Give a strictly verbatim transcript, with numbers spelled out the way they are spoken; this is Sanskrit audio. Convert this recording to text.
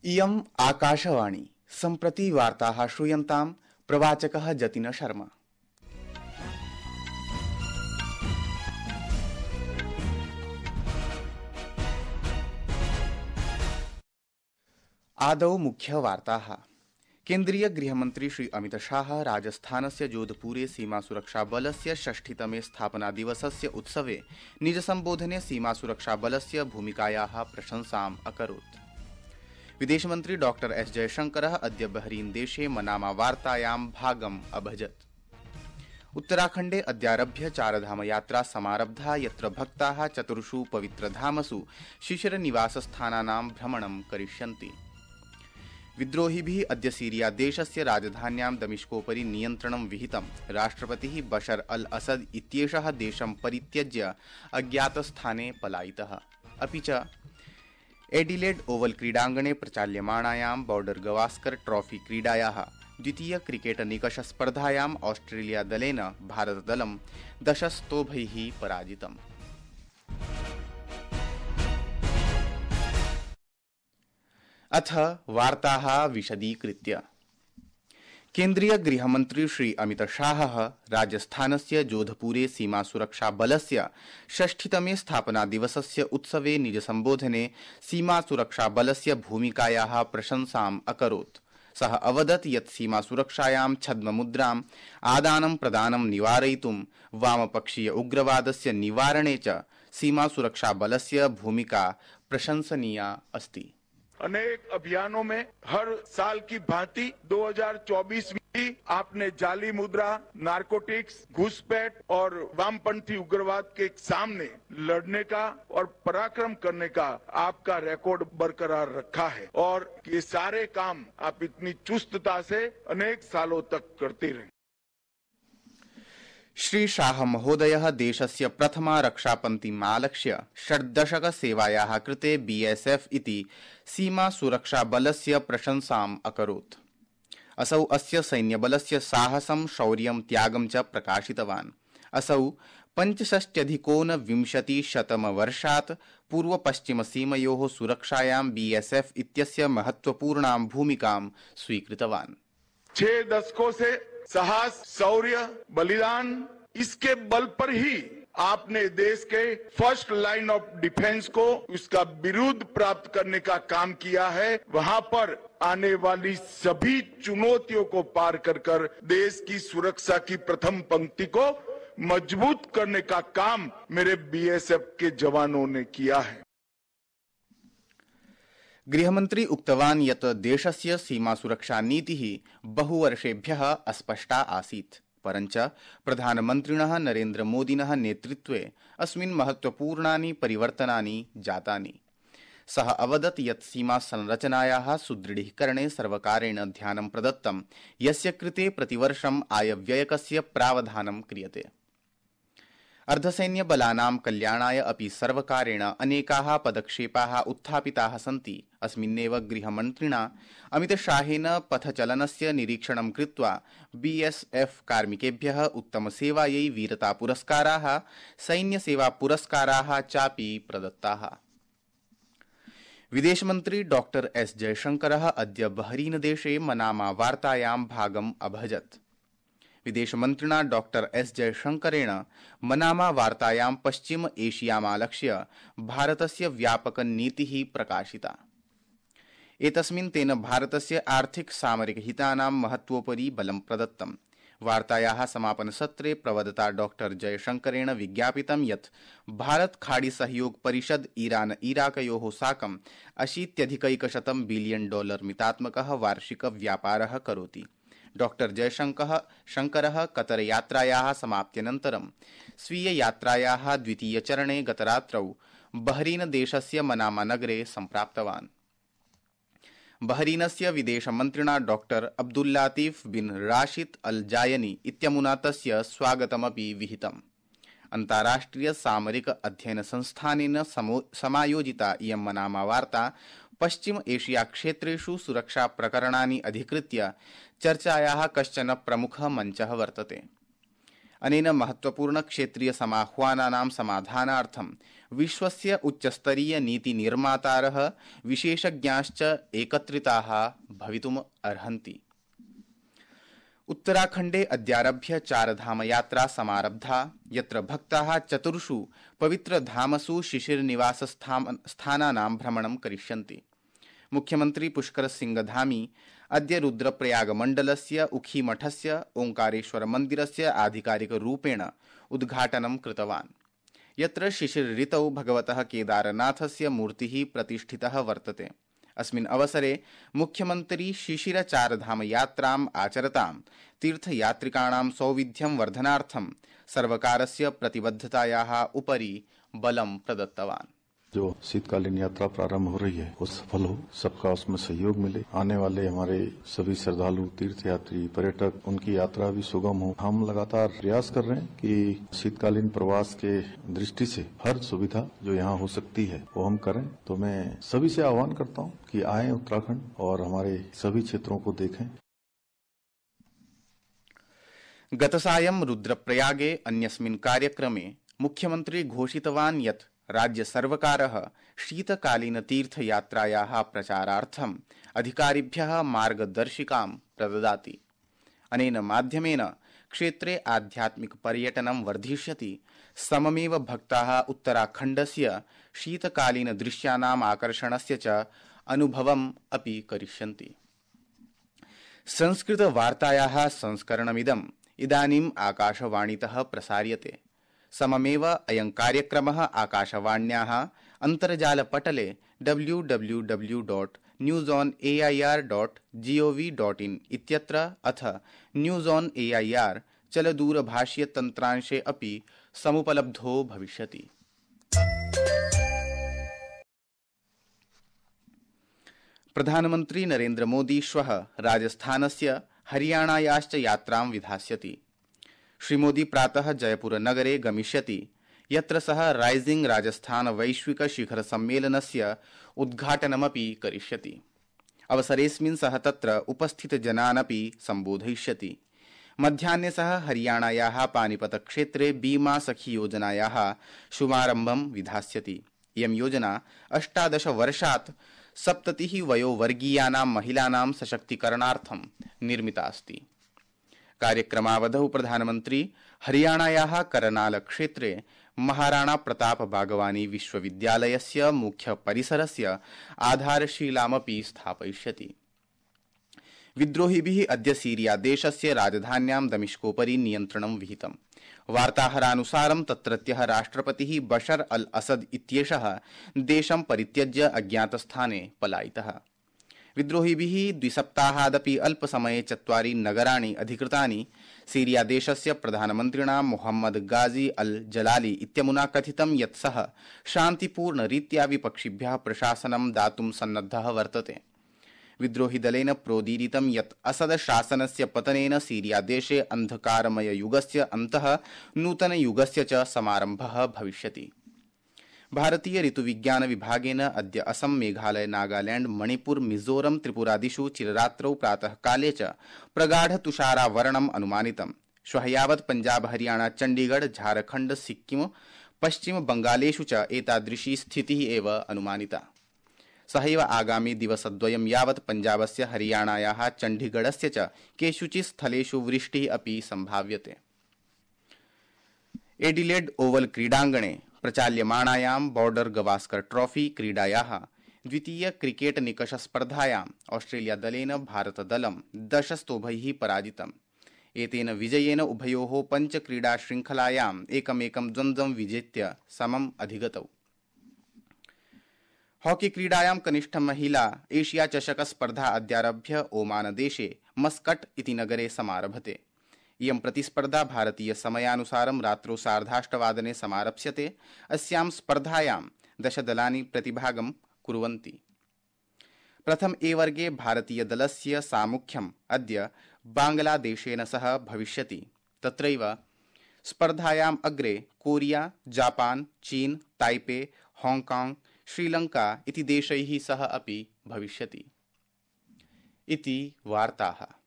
इयम् आकाशवाणी सम्प्रति वार्ताः श्रूयन्तां प्रवाचकः जतिन शर्मा। आदौ मुख्यवार्ताः। केन्द्रीय गृहमन्त्री श्री अमित शाह राजस्थानस्य जोधपुरे सीमासुरक्षाबलस्य षष्ठितमे स्थापनादिवसस्य उत्सवे निजसम्बोधने सीमासुरक्षाबलस्य भूमिकायाः प्रशंसाम् अकरोत्। विदेशमन्त्री डॉक्टर एस जयशंकरः अद्य बहरीन देशे मनामा वार्तायां भागम् अभजत्। उत्तराखण्डे अद्यारभ्य चारधाम यात्रा समारब्धा, यत्र भक्ताः चतुर्षु पवित्रधामसु शिशिरनिवासस्थानानां भ्रमणं करिष्यन्ति। विद्रोहिभिः अद्य सीरिया देशस्य राजधान्यां दमिश्कोपरि नियन्त्रणं विहितम्। राष्ट्रपतिः बशर अल असद इत्येषः देशं परित्यज्य अज्ञातस्थाने पलायितः। अपि च एडिलेड ओवल क्रीडाङ्गणे प्रचाल्यमाणायां बॉर्डर गवास्कर ट्रॉफी क्रीडायाः द्वितीय क्रिकेट निकष स्पर्धायाम् ऑस्ट्रेलिया दलेन भारतदलं दशस्तोभैः पराजितम्। अथ वार्ताः विशदीकृत्य। केन्द्रीय गृहमन्त्री श्री अमित शाहः राजस्थानस्य जोधपुरे सीमासुरक्षाबलस्य षष्ठितमे स्थापनादिवसस्य उत्सवे निजसम्बोधने सीमासुरक्षाबलस्य भूमिकायाः प्रशंसाम् अकरोत्। सः अवदत् यत् सीमासुरक्षायां छद्ममुद्राम् आदानं प्रदानं निवारयितुं वामपक्षीय उग्रवादस्य निवारणे च सीमासुरक्षाबलस्य भूमिका प्रशंसनीया अस्ति। अनेक अभियानों में हर साल की भांति दो हज़ार चौबीस में भी आपने जाली मुद्रा, नारकोटिक्स, घुसपैठ और वामपंथी उग्रवाद के सामने लड़ने का और पराक्रम करने का आपका रिकॉर्ड बरकरार रखा है और ये सारे काम आप इतनी चुस्तता से अनेक सालों तक करते रहे। श्री शाह महोदयः देशस्य प्रथमा रक्षापङ्क्तिमालक्ष्य षड्दशक सेवायाः कृते बीएसएफ इति सीमासुरक्षाबलस्य प्रशंसाम् अकरोत्। असौ अस्य सैन्यबलस्य साहसं, शौर्यं, त्यागं च प्रकाशितवान्। असौ पञ्चषष्ट्यधिकोनविंशतिशतमवर्षात् पूर्वपश्चिमसीमयोः सुरक्षायां बीएसएफ इत्यस्य महत्वपूर्णां भूमिकां स्वीकृतवान्। छह दशकों से साहस, शौर्य, बलिदान, इसके बल पर ही आपने देश के फर्स्ट लाइन ऑफ डिफेंस को उसका बिरुद प्राप्त करने का काम किया है। वहां पर आने वाली सभी चुनौतियों को पार कर कर देश की सुरक्षा की प्रथम पंक्ति को मजबूत करने का काम मेरे बीएसएफ के जवानों ने किया है। गृहमन्त्री उक्तवान् यत् देशस्य सीमासुरक्षा नीतिः बहुवर्षेभ्यः अस्पष्टा आसीत्, परञ्च प्रधानमन्त्रिणः नरेन्द्र मोदिनः नेतृत्वे अस्मिन् महत्वपूर्णानि परिवर्तनानि जातानि। सः अवदत् यत् सीमा संरचनायाः सुदृढीकरणे सर्वकारेण ध्यानं प्रदत्तं, यस्य कृते प्रतिवर्षम् आयव्ययकस्य प्रावधानं क्रियते। अर्धसैन्यबलानां कल्याणाय अपि सर्वकारेण अनेकाः पदक्षेपाः उत्थापिताः सन्ति। अस्मिन्नेव गृहमन्त्रिणा अमितशाहेन पथचलनस्य निरीक्षणं कृत्वा बीएसएफ कार्मिकेभ्यः उत्तमसेवायै वीरतापुरस्काराः, सैन्यसेवापुरस्काराः चापि प्रदत्ताः। विदेशमन्त्री डॉक्टर एस जयशंकरः अद्य बहरीन देशे मनामा वार्तायां भागम् अभजत्। विदेशमन्त्रिणा डॉक्टर एस जयशंकरेण मनामा वार्तायां पश्चिम एशियामालक्ष्य भारतस्य व्यापकनीतिः प्रकाशिता। एतस्मिन् तेन भारतस्य आर्थिक सामरिक हितानां महत्वोपरि बलं प्रदत्तम्। वार्तायाः समापनसत्रे प्रवदता डॉक्टर जयशंकरेण विज्ञापितं यत् भारत खाड़ी सहयोग परिषद ईरान इराकयोः साकम् अशीत्यधिकैकशतं बिलियन डॉलर मितात्मकः वार्षिक व्यापारः करोति। डॉक्टर जयशंकरः शंकरः कतर यात्रायाः समाप्त्यनन्तरं स्वीय यात्रायाः द्वितीयचरणे गतरात्रौ बहरीन देशस्य मनामा नगरे सम्प्राप्तवान्। बहरीनस्य विदेशमन्त्रिणा डॉक्टर अब्दुल्लातीफ बिन राशिद अल जायनी इत्यमुना तस्य स्वागतमपि विहितम्। अन्ताराष्ट्रिय सामरिक अध्ययन संस्थानेन समायोजिता इयं मनामा वार्ता पश्चिम एशिया क्षेत्रेषु सुरक्षा प्रकरणानि अधिकृत्य चर्चायाः कश्चन प्रमुखः मञ्चः वर्तते। अनेन महत्वपूर्ण क्षेत्रीय समाह्वानानां समाधानार्थं विश्वस्य उच्चस्तरीय नीति निर्मातारः विशेषज्ञाश्च एकत्रिताः भवितुम् अर्हन्ति। उत्तराखण्डे अद्यारभ्य चारधाम यात्रा समारब्धा, यत्र भक्ताः चतुर्षु पवित्रधामसु शिशिरनिवासस्थानानां भ्रमणं करिष्यन्ति। मुख्यमन्त्री पुष्कर सिंह धामी अद्य रुद्रप्रयागमण्डलस्य उखीमठस्य ओंकारेश्वर मन्दिरस्य आधिकारिकरूपेण उद्घाटनं कृतवान्, यत्र शिशिरऋतौ भगवतः केदारनाथस्य मूर्तिः प्रतिष्ठितः वर्तते। अस्मिन् अवसरे मुख्यमन्त्री शिशिरचारधाम यात्राम् आचरतां तीर्थयात्रिकाणां सौविध्यं वर्धनार्थं सर्वकारस्य प्रतिबद्धतायाः उपरि बलं प्रदत्तवान्। जो शीतकालीन यात्रा प्रारंभ हो रही है वो सफल हो, सबका उसमें सहयोग मिले, आने वाले हमारे सभी श्रद्धालु, तीर्थयात्री, पर्यटक, उनकी यात्रा भी सुगम हो। हम लगातार प्रयास कर रहे हैं कि शीतकालीन प्रवास के दृष्टि से हर सुविधा जो यहाँ हो सकती है वो हम करें। तो मैं सभी से आह्वान करता हूँ कि आए उत्तराखंड और हमारे सभी क्षेत्रों को देखें। गतसायं रुद्रप्रयागे अन्यस्मिन् कार्यक्रमे मुख्यमंत्री घोषितवान् यत् राज्य सर्वकारः शीतकालीन तीर्थयात्रायाः प्रचारार्थम् अधिकारिभ्यः मार्गदर्शिकां प्रददाति। अनेन माध्यमेन क्षेत्रे आध्यात्मिक पर्यटनं वर्धिष्यति, सममेव भक्ताः उत्तराखण्डस्य शीतकालीन दृश्यानाम् आकर्षणस्य च अनुभवम् अपि करिष्यन्ति। संस्कृत वार्तायाः संस्करणमिदम् इदानीम् आकाशवाणीतः प्रसार्यते। सममेव अयं कार्यक्रमः आकाशवाण्याः अन्तर्जालपटले W W W dot news on A I R dot G O V dot in इत्यत्र अथ news on A I R चलदूरभाषीय तन्त्रांशे अपि समुपलब्धो भविष्यति। प्रधानमन्त्री नरेन्द्र मोदी श्वः राजस्थानस्य हरियाणायाश्च यात्रां विधास्यति। श्रीमोदी प्रातः जयपुर नगरे गमिष्यति, यत्र सः राइजिंग राजस्थान वैश्विक शिखर सम्मेलनस्य उद्घाटनमपि करिष्यति। अवसरेऽस्मिन् सः तत्र उपस्थितजनानपि सम्बोधयिष्यति। मध्याह्ने सः हरियाणायाः पानीपत क्षेत्रे बीमा सखी योजनायाः शुभारम्भं विधास्यति। इयं योजना अष्टादश वर्षात् सप्ततिः वयोवर्गीयानां महिलानां सशक्तीकरणार्थं निर्मिता अस्ति। कार्यक्रमावधौ प्रधानमन्त्री हरियाणायाः करनाल क्षेत्रे महाराणा प्रताप बागवानी विश्वविद्यालयस्य मुख्य परिसरस्य आधारशिलामपि स्थापयिष्यति। विद्रोहिभिः अद्य सीरिया देशस्य राजधान्यां दमिश्कोपरि नियन्त्रणं विहितम्। वार्ताहरानुसारं तत्रत्यः राष्ट्रपतिः बशर अल असद इत्येषः देशं परित्यज्य अज्ञातस्थाने पलायितः। विद्रोहिभिः द्विसप्ताहादपि अल्पसमये चत्वारि नगराणि अधिकृतानि। सीरिया देशस्य प्रधानमन्त्रिणा मोहम्मद गाजी अल जलाली इत्यमुना कथितं यत् सः शान्तिपूर्णरीत्या विपक्षिभ्यः प्रशासनं दातुं सन्नद्धः वर्तते। विद्रोहिदलेन प्रोदीरितं यत् असद शासनस्य पतनेन सीरिया देशे अन्धकारमय युगस्य अन्तः नूतनयुगस्य च समारम्भः भविष्यति। भारतीय ऋतुविज्ञान विभागेन अद्य असम, मेघालय, नागालैंड, मणिपुर, मिजोरम, त्रिपुरादिषु चिररात्रौ प्रातः काले च प्रगाढ तुषारावरणम् अनुमानितम्। श्वः यावत् पंजाब, हरियाणा, चण्डीगढ़, झारखण्ड, सिक्किम, पश्चिम बंगालेषु च एतादृशी स्थितिः एव अनुमानिता। सहैव आगामी दिवसद्वयं यावत् पंजाबस्य, हरियाणायाः, चण्डीगढ़स्य च केषुचित् स्थलेषु वृष्टिः अपि सम्भाव्यते। एडिलेड ओवल क्रीडाङ्गणे प्रचाल्यमाणायां बॉर्डर गवास्कर ट्रॉफी क्रीडायाः द्वितीय क्रिकेट निकष स्पर्धायां ऑस्ट्रेलिया दलेन भारत दलं दश स्तोभैः पराजितम्। एतेन विजयेन उभयोः पञ्च क्रीडा श्रृंखलायाम् एकमेकं द्वन्द्वं विजेत्य समम् अधिगतौ। हॉकी क्रीडायां कनिष्ठ महिला एशिया चषक स्पर्धा अद्यारभ्य ओमान देशे मस्कट इति नगरे समारभते। इयं प्रतिस्पर्धा भारतीय समयानुसारं रात्रौ सार्धाष्टवादने समारप्स्यते। अस्यां स्पर्धायां दश दलानि प्रतिभागं कुर्वन्ति। प्रथम ए वर्गे भारतीय दलस्य सामुख्यम् अद्य बांग्लादेशेन सह भविष्यति। तत्रैव स्पर्धायाम् अग्रे कोरिया, जापान, चीन, ताइपे, हांगकांग, श्रीलंका इति देशैः सह अपि भविष्यति। इति वार्ताः।